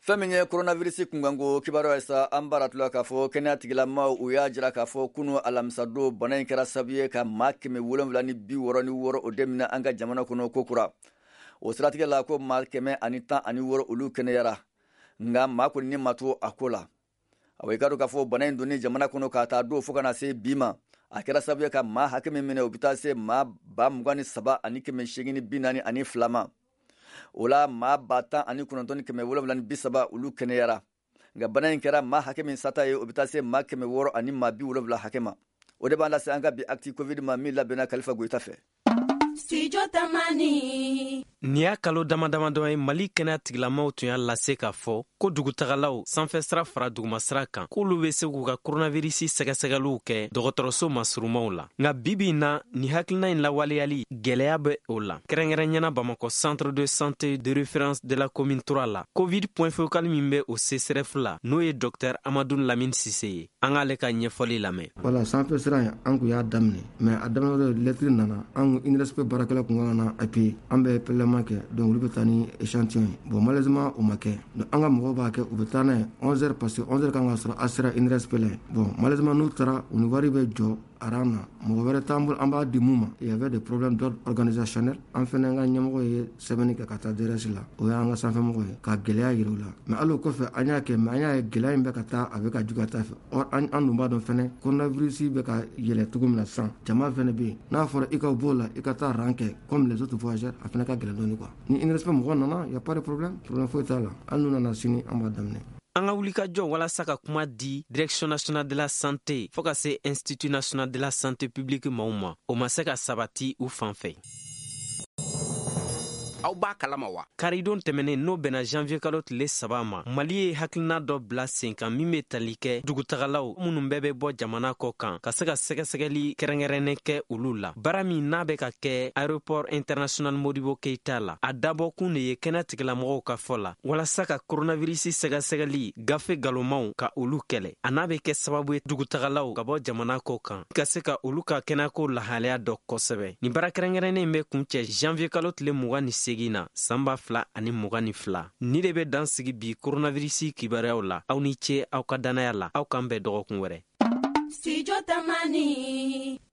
Fɛn min ye coronavirus kunkanko kibaruya ye sa, an b'a tula k'a fɔ kɛnɛya tigilamaw u y'a jira k'a fɔ kunu alamisadon, bana in kɛra sababu ye ka maa 766 o de minɛ an ka jamana kɔnɔ kokura. O siratigɛ la, ko maa 116, olu kɛnɛyara, nka maa kɔni ni ma to a ko la. Awa, i ka dɔn k'a fɔ bana in donni jamana kɔnɔ k'a taa don fo ka na se bi ma, a kɛra sababu ye ka maa hakɛ min minɛ, o bɛ taa se maa 23,842 ma. O la, maa 19,730, olu kɛnɛyara, nka bana in kɛra maa hakɛ min sata ye, o bɛ taa se maa 600 ani maa 70 hakɛ ma. O de b'an lase an ka bi Actu Covid ma, min labɛnna Kalifa Goyita fɛ. Studio Tamani. Nin y'a kalo dama damadɔ ye, Mali kɛnɛya tigilamaw tun y'a lase k'a fɔ ko dugutagalaw, sanfɛ sira fara dugumasira kan, k'olu be se k'u ka koronavirisi sɛgɛsɛgɛliw kɛ dɔgɔtɔrɔso masurumaw la. Nka bibi na, nin hakilina in lawaleyali gwɛlɛya bɛ o la, kɛrɛnkɛrɛnyana Bamakɔ Centre de santé de référence de la commune 3 la. Covid point focal min bɛ o CSRéf la, n'o ye Dɔktɛr Amadu Lamine Sise ye, an k'ale ka ɲɛfɔli lamɛn. Wala, sanfɛ sira in, an kun y'a daminɛ, mais a daminɛ, lɛtiri nana an kun INRSP baarakɛla kun kan na appuyer, an bɛ prélèvement kɛ, donc olu bɛ taa ni échantillon ye. Bon, malheureusement, o ma kɛ. Donc an ka mɔgɔw b'a kɛ, u bɛ taa n'a ye 11 heures, parce que 11 heures kan ka sɔrɔ a sera INRSP la yen. Bon, malheureusement, n'u taara, u ni wari bɛ jɔ rang na, mɔgɔ wɛrɛ t'an bolo an b'a di mun ma. Il y avait des problèmes d'ordre organisationnel. An fɛnɛ ka ɲɛmɔgɔ ye sɛbɛnni kɛ ka taa DRS la, o y'an ka sanfɛmɔgɔ ye, ka gɛlɛya yira u la. Mais hali o kɔfɛ, an y'a kɛ, mais an y'a ye gɛlɛya in bɛ ka taa, a bɛ ka juguya taa fɛ. Or an dun b'a dɔn fɛnɛ, coronavirus bɛ ka yɛlɛ cogo min na sisan, jama fɛnɛ bɛ yen. N'a fɔra i ka b'o la, i ka taa rang kɛ comme les autres voyageurs, a fɛnɛ ka gɛlɛn dɔɔni quoi. Ni INRSP mɔgɔ nana, y a pas de problème, problème foyi t'a la. Hali n'u nana sini, an b'a daminɛ. An ka wulikajɔ walasa ka kuma di Direction nationale de la santé fɔɔ ka se Institut national de la santé publique maaw ma, o ma se ka sabati u fan fɛ. Aw b'a kalama wa? Karidon tɛmɛnen, n'o bɛnna janvier kalo tile 3 ma, Mali ye hakilina dɔ bila sen kan min be tali kɛ dugutagalaw minnu bɛɛ bɛ bɔ jamana kɔ kan, ka se ka sɛgɛsɛgɛli kɛrɛnkɛrɛnnen kɛ olu la. Baara min n'a bɛ ka kɛ Aéroport international Modibo Keita la, a dabɔkun de ye, kɛnɛ tigilamɔgɔw ka fɔ la, walasa ka koronavirisi sɛgɛsɛgɛli gafe galomaw ka olu kɛlɛ. A n'a bɛ kɛ sababu ye dugutagalaw ka bɔ jamana kɔ kan ka se ka olu ka kɛnɛyako lahalaya dɔ kosɛbɛ. Nin baara kɛrɛnkɛrɛnnen bɛ kuncɛ janvier kalo tile 28 na, san 2022. Ni de bɛ dan sigi bi koronavirisi kibaruyaw la. Aw ni ce aw ka dannaya la. Aw k'an bɛn dɔgɔkun wɛrɛ. Studio Tamani.